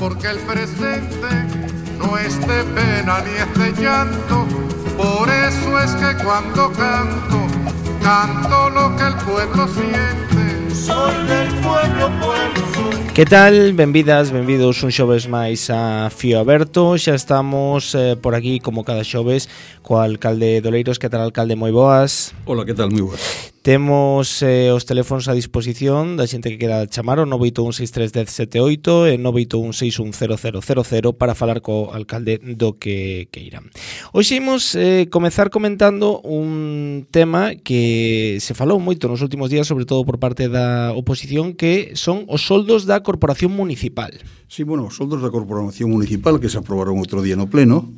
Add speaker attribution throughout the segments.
Speaker 1: porque el presente no es de pena ni es de llanto. Por eso es que cuando canto, canto lo que el pueblo siente. Soy del pueblo, pueblo.
Speaker 2: Que tal? Benvidas, benvidos un xoves máis a Fío Aberto. Xa estamos por aquí como cada xoves co alcalde de Oleiros. Que tal, alcalde? Moi boas.
Speaker 3: Hola, que tal? Moi boas.
Speaker 2: Temos os teléfonos a disposición da xente que queda chamar o 981631078 e 981610000 para falar co alcalde do que irán. Hoxe imos comezar comentando un tema que se falou moito nos últimos días, sobre todo por parte da oposición, que son os soldos da Corporación Municipal.
Speaker 3: Sí, bueno, os soldos da Corporación Municipal que se aprobaron outro día no pleno,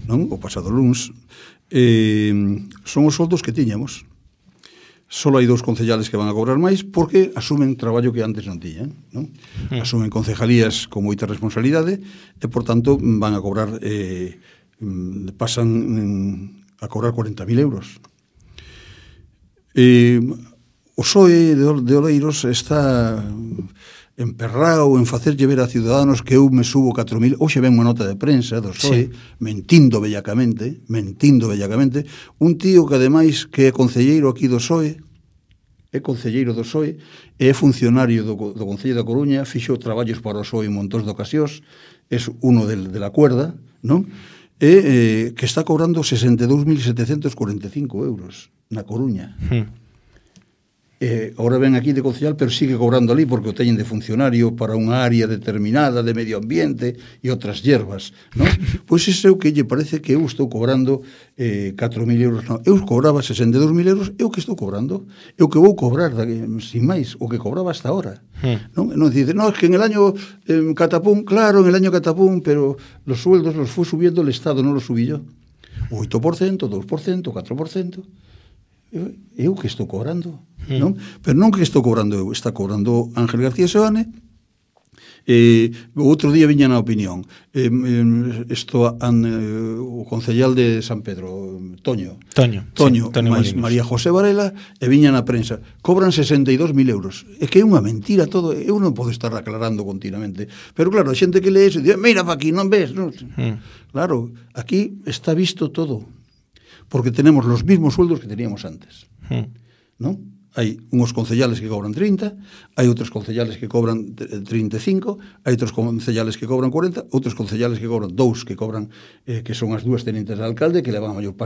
Speaker 3: non? O pasado luns, son os soldos que tiñamos. Só hai 2 concellales que van a cobrar máis porque asumen traballo que antes non tiñan, non? Asumen concejalías con moita responsabilidade e, por tanto, van a cobrar pasan a cobrar 40.000 euros. O PSOE de Oleiros está emperrado en facerlle ver a ciudadanos que eu me subo 4.000. Hoxe ven unha nota de prensa do PSOE, sí, mentindo bellacamente, un tío que ademais que é concelleiro aquí do PSOE, é concelleiro do PSOE, é funcionario do Concello da Coruña, fixo traballos para o PSOE en montón de ocasións, é uno de la cuerda, non? E que está cobrando 62.745 euros na Coruña. Ahora ven aquí de concejal, pero sigue cobrando ali porque o teñen de funcionario para unha área determinada de medio ambiente e outras hierbas, non? Pois iso é o que lle parece que eu estou cobrando 4.000 euros. Non, eu cobraba 62.000 euros, é o que estou cobrando, é o que vou cobrar, sin máis, o que cobraba hasta ahora. Non dice, no, es que en el año catapum, claro, en el año catapum, pero los sueldos los fue subiendo el Estado, non los subí yo. 8%, 2%, 4%. Eu que estou cobrando, non? Pero non que estou cobrando eu, está cobrando Ángel García Seoane. O outro día viña na opinión o concellal de San Pedro, Toño, máis María José Varela, e viña na prensa, cobran 62.000 euros. É que é unha mentira todo, eu non podo estar aclarando continuamente, pero claro, a xente que lee eso dice, mira pa aquí, non ves? Non? Claro, aquí está visto todo, porque tenemos los mismos sueldos que teníamos antes, non? Hai unhos concellales que cobran 30, hai outros concellales que cobran 35, hai outros concellales que cobran 40, outros concellales que cobran 2, que cobran que son as dúas tenentes de alcalde, que levan a maior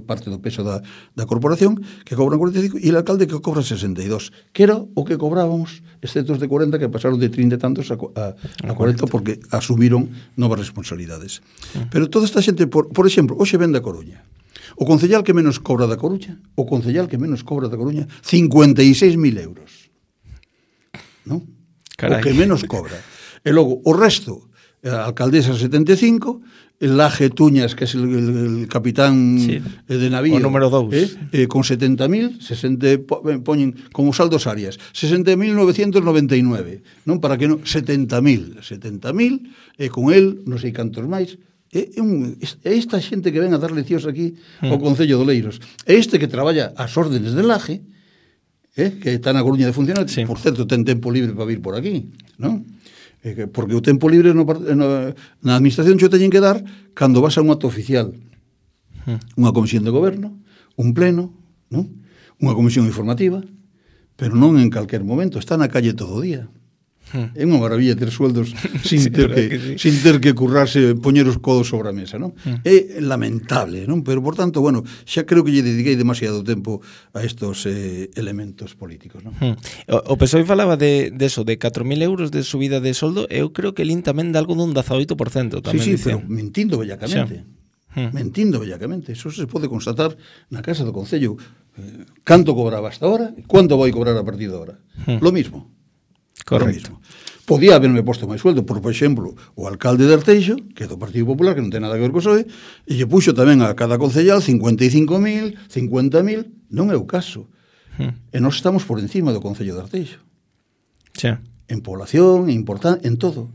Speaker 3: parte do peso da corporación, que cobran 45, e o alcalde que cobra 62, que era o que cobrábamos, exceptos de 40 que pasaron de 30 e tantos a 40 porque asumiron novas responsabilidades. Pero toda esta xente, por exemplo, hoxe ven da Coruña. O concellal que menos cobra da Coruña, 56.000 euros. Non? O que menos cobra. E logo, o resto, a alcaldesa 75, el Laje Tuñas, que é el capitán de navío,
Speaker 2: o número 2,
Speaker 3: con 70.000, poñen como saldos áreas, 60.999, non? Para que non, 70.000, e con el, non sei cantos máis. É esta xente que ven a dar leccións aquí ao Concello de Oleiros, é este que traballa ás órdenes de Laje, que está na Coruña de funcionar, por certo, ten tempo libre para vir por aquí, non? Porque o tempo libre na administración xo teñen que dar cando vas a un acto oficial, unha comisión de goberno, un pleno, non? Unha comisión informativa, pero non en calquer momento, está na calle todo o día. É unha maravilla ter sueldos sin ter que currarse, poñer os codos sobre a mesa, non? É lamentable, non? Pero, por tanto, bueno, xa creo que lle dediquei demasiado tempo a estos elementos políticos, non?
Speaker 2: O PSOE falaba de eso, de 4.000 euros de subida de soldo, eu creo que el tamén dá algo dun 18% tamén.
Speaker 3: Sí, pero mentindo bellacamente. Mentindo bellacamente. Eso se pode constatar na Casa do Concello. Canto cobraba hasta ahora e quanto vai cobrar a partir de ahora. Lo mismo.
Speaker 2: Correcto.
Speaker 3: Podía haberme posto máis sueldo, por exemplo, o alcalde de Arteixo, que é do Partido Popular, que non ten nada que ver co PSOE, e lle puxo tamén a cada concellal 55.000, 50.000, non é o caso. E nós estamos por encima do Concello de Arteixo. En población, en todo.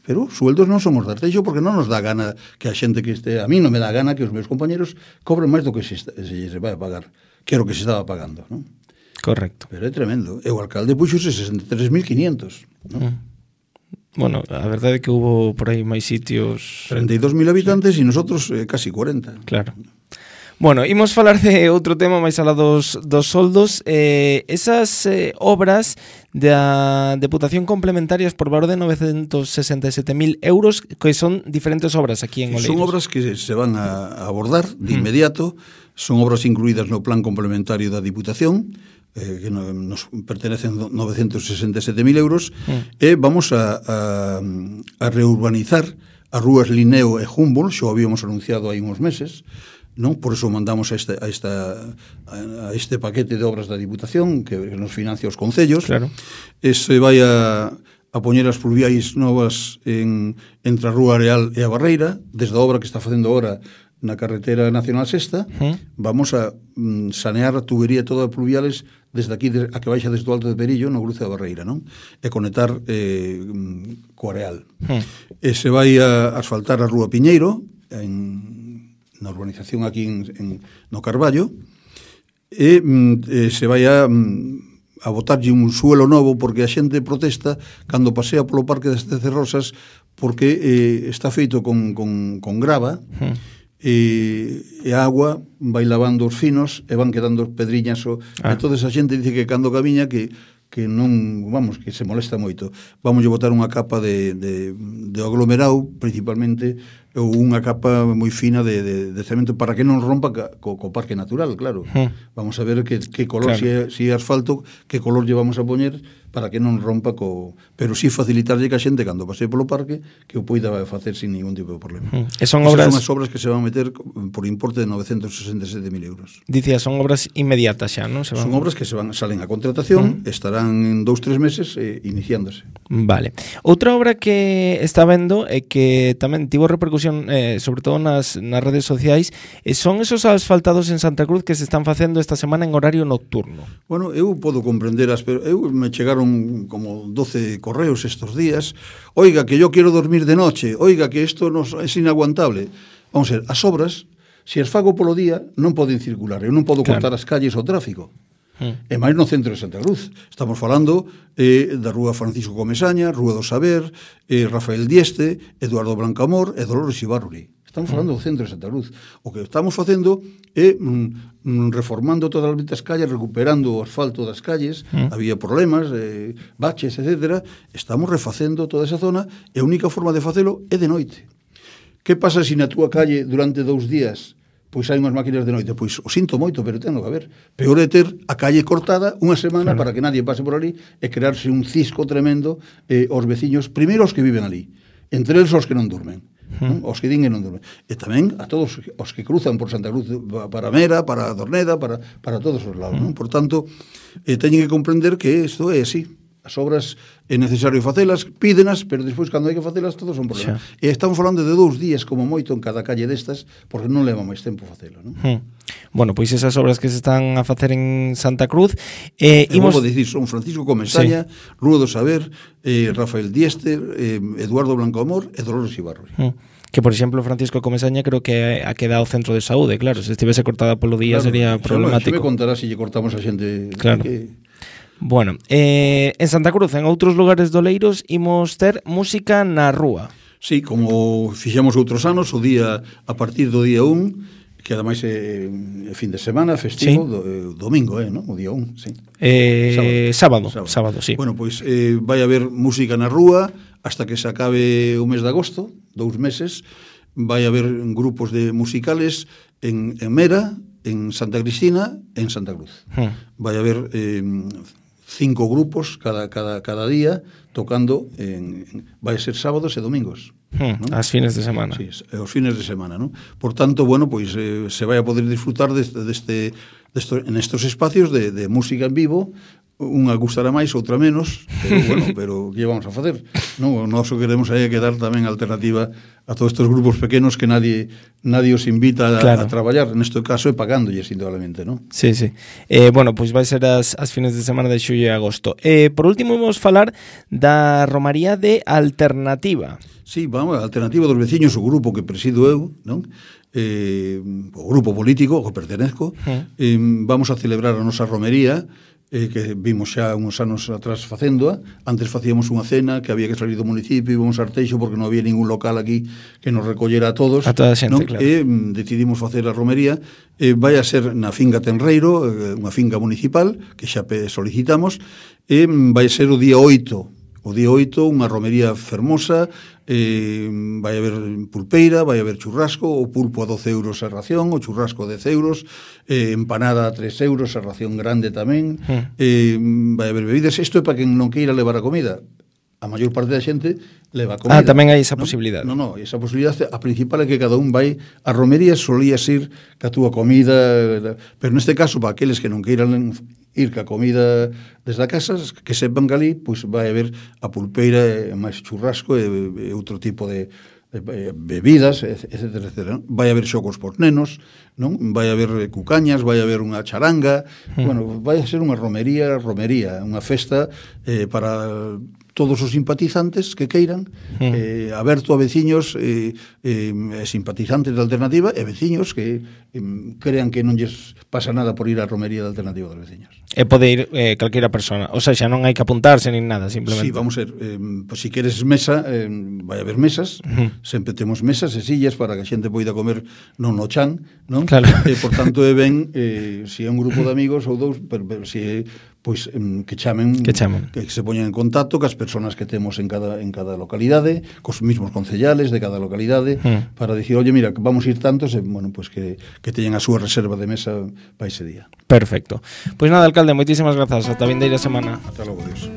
Speaker 3: Pero os sueldos non somos de Arteixo porque non nos dá gana que a xente que este... A mí non me dá gana que os meus compañeros cobren máis do que se vai a pagar, que era o que se estaba pagando, non?
Speaker 2: Correcto.
Speaker 3: Pero é tremendo. E o alcalde puxose 63.500, non?
Speaker 2: Bueno, a verdade é que hubo por aí máis sitios...
Speaker 3: 32.000 habitantes e nosotros casi 40.
Speaker 2: Claro. Bueno, imos falar de outro tema máis alá dos soldos. Esas obras da Deputación complementarias por valor de 967.000 euros, que son diferentes obras aquí en Oleiros.
Speaker 3: Son obras que se van a abordar de inmediato, son obras incluídas no plan complementario da Diputación, que nos pertenecen 967.000 euros, e vamos a reurbanizar as rúas Linneo e Humboldt, xo habíamos anunciado hai uns meses, non? Por eso mandamos a este paquete de obras da Diputación que nos financia os concellos.
Speaker 2: Claro.
Speaker 3: Se vai a poñer as pluviais novas entre a Rúa Areal e a Barreira, desde a obra que está facendo ahora na carretera nacional sexta. Vamos a sanear a tubería toda a pluviales desde aquí a que baixa desde o Alto de Perillo no cruce da Barreira, non? E conectar co Areal. Se vai a asfaltar a Rúa Piñeiro na urbanización aquí no Carballo, e se vai a botarlle un suelo novo porque a xente protesta cando pasea polo Parque das Tecerrosas porque está feito con grava, e a agua vai lavando os finos e van quedando pedriñas. Entón a xente dice que cando camiña que non, vamos, que se molesta moito. Vamos a botar unha capa de aglomerado, principalmente, ou unha capa moi fina de cemento para que non rompa co parque natural, claro. Vamos a ver que color, claro. Si é asfalto, que color lle vamos a poñer para que non rompa pero sí facilitarlle que a xente cando pase polo parque que o poida facer sin ningún tipo de problema.
Speaker 2: Son obras
Speaker 3: que se van a meter por importe de 967.000 euros.
Speaker 2: Dicía, son obras inmediatas xa, non?
Speaker 3: Son obras que salen a contratación, estarán en 2-3 meses iniciándose.
Speaker 2: Vale. Outra obra que está vendo e que tamén tivo repercusión sobre todo nas redes sociais son esos asfaltados en Santa Cruz que se están facendo esta semana en horario nocturno.
Speaker 3: Bueno, eu podo comprender me chegaron como 12 correos estos días. Oiga, que yo quiero dormir de noche. Oiga, que esto es inaguantable. Vamos a ver, as obras, se as fago polo día, non poden circular. Eu non podo cortar as calles ao tráfico. E máis no centro de Santa Cruz. Estamos falando da Rúa Francisco Comesaña, Rúa do Saber, Rafael Dieste, Eduardo Blancamor e Dolores Ibarruri. Estamos falando do centro de Santa Cruz. O que estamos facendo é reformando todas as calles, recuperando o asfalto das calles. Había problemas, baches, etc. Estamos refacendo toda esa zona e a única forma de facelo é de noite. Que pasa se na túa calle durante 2 días pois hai unhas máquinas de noite? Pois o sinto moito, pero ten que haber. Peor é ter a calle cortada unha semana para que nadie pase por ali e crearse un cisco tremendo aos veciños, primeiro os que viven ali, entre eles os que non durmen. Os que din que non dormen. E tamén a todos os que cruzan por Santa Cruz para Mera, para Dorneda, para todos os lados. Por tanto, teñen que comprender que isto é así. As obras é necesario facelas, pídenas, pero despois cando hai que facelas todos son problemas. E estamos falando de 2 días como moito en cada calle destas, porque non leva máis tempo facelo, non?
Speaker 2: Bueno, pois esas obras que se están a facer en Santa Cruz,
Speaker 3: vou dicir, son Francisco Comesaña, Rúa do Saber, Rafael Dieste, Eduardo Blancamor e Dolores Ibarruri.
Speaker 2: Que, por exemplo, Francisco Comesaña creo que ha quedado centro de saúde, claro, se estivese cortada polo día sería problemático.
Speaker 3: Xa me contará se lle cortamos a xente.
Speaker 2: Claro. Bueno, en Santa Cruz, en outros lugares do Oleiros, imos ter música na rúa.
Speaker 3: Sí, como fixemos outros anos, o día a partir do día 1, que ademais é fin de semana, festivo, domingo, non? O día 1, sí.
Speaker 2: Sábado, sí.
Speaker 3: Bueno, pois vai haber música na rúa hasta que se acabe o mes de agosto, 2 meses. Vai haber grupos de musicales en Mera, en Santa Cristina e en Santa Cruz. Vai haber 5 grupos cada día tocando vai ser sábados e domingos.
Speaker 2: As fines de semana.
Speaker 3: Sí, os fines de semana, non? Por tanto, bueno, pois se vai a poder disfrutar en estos espacios de música en vivo. Unha gustará máis, outra menos, pero bueno, pero que vamos a facer? Non, o noso queremos aí que dar tamén alternativa a todos estes grupos pequenos que nadie os invita a traballar, neste caso é pagándolles indudablemente, non?
Speaker 2: Sí. Bueno, pois vai ser as fines de semana de xullo e agosto. Por último, vamos falar da Romaría de Alternativa.
Speaker 3: Sí, vamos, a Alternativa dos Veciños, o grupo que presido eu, non? O grupo político ao que pertenezco, vamos a celebrar a nosa romería que vimos xa uns anos atrás facéndoa. Antes facíamos unha cena que había que salir do municipio, íbamos a Arteixo porque non había ningún local aquí que nos recollera a todos,
Speaker 2: a toda a xente,
Speaker 3: non?
Speaker 2: Claro.
Speaker 3: E decidimos facer a romería. Vai a ser na finca Tenreiro, unha finca municipal que xa solicitamos, e vai ser o día 8. O día 8, unha romería fermosa, vai haber pulpeira, vai haber churrasco, o pulpo a 12 euros a ración, o churrasco a 10 euros, empanada a 3 euros, a ración grande tamén, vai haber bebidas. Isto é para quen non queira levar a comida. A maior parte da xente leva comida.
Speaker 2: Tamén hai esa posibilidade.
Speaker 3: Non, esa posibilidade, a principal é que cada un vai a romería, solías ir ca túa comida, pero neste caso, para aqueles que non queiran ir ca comida desde a casa, que sepan que ali pois vai haber a pulpeira, máis churrasco e outro tipo de bebidas, etcétera, etcétera. Vai haber xogos por nenos, non? Vai haber cucañas, vai haber unha charanga, bueno, vai a ser unha romería, unha festa para todos os simpatizantes que queiran, aberto a veciños simpatizantes da Alternativa e veciños que crean que non lles pasa nada por ir á romería da Alternativa dos veciños.
Speaker 2: E pode ir calquera persona, o sea, xa non hai que apuntarse nin nada, simplemente.
Speaker 3: Sí, vamos a ver, pues, si queres mesa, vai haber mesas, sempre temos mesas e sillas para que a xente poida comer non no chan, non?
Speaker 2: Claro.
Speaker 3: Por tanto, ben, se é un grupo de amigos ou dous, pero se é pois que chamen, que se poñan en contacto cas persoas que temos en cada localidade, cos mismos concellales de cada localidade, para dicir, oye, mira, vamos a ir tantos, e, bueno, pues que teñan a súa reserva de mesa para ese día.
Speaker 2: Perfecto. Pois nada, alcalde, moitísimas grazas. Ata vindeira semana.
Speaker 3: Ata logo, Dios.